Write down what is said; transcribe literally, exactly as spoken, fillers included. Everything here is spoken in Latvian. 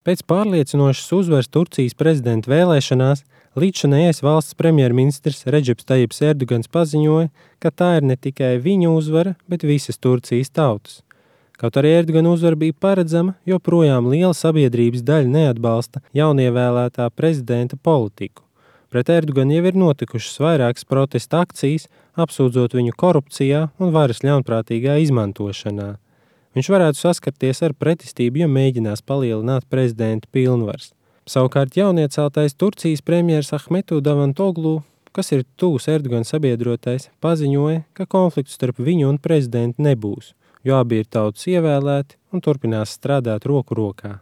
Pēc pārliecinošas uzvaras Turcijas prezidenta vēlēšanās līdzšinējais valsts premjerministrs Redžeps Tajips Erdogans paziņoja, ka tā ir ne tikai viņa uzvara, bet visas Turcijas tautas. Kaut arī Erdogana uzvara bija paredzama, joprojām liela sabiedrības daļa neatbalsta jaunievēlētā prezidenta politiku. Pret Erdoganu jau ir notikušas vairākas protesta akcijas, apsūdzot viņu korupcijā un varas ļaunprātīgā izmantošanā. Viņš varētu saskarties ar pretestību, ja mēģinās palielināt prezidenta pilnvaras. Savukārt jaunieceltais Turcijas premjers Ahmetu Davutoglu, kas ir tuvs Erdogana sabiedrotais, paziņoja, ka konflikts starp viņu un prezidentu nebūs, jo abi ir tautas ievēlēti un turpinās strādāt roku rokā.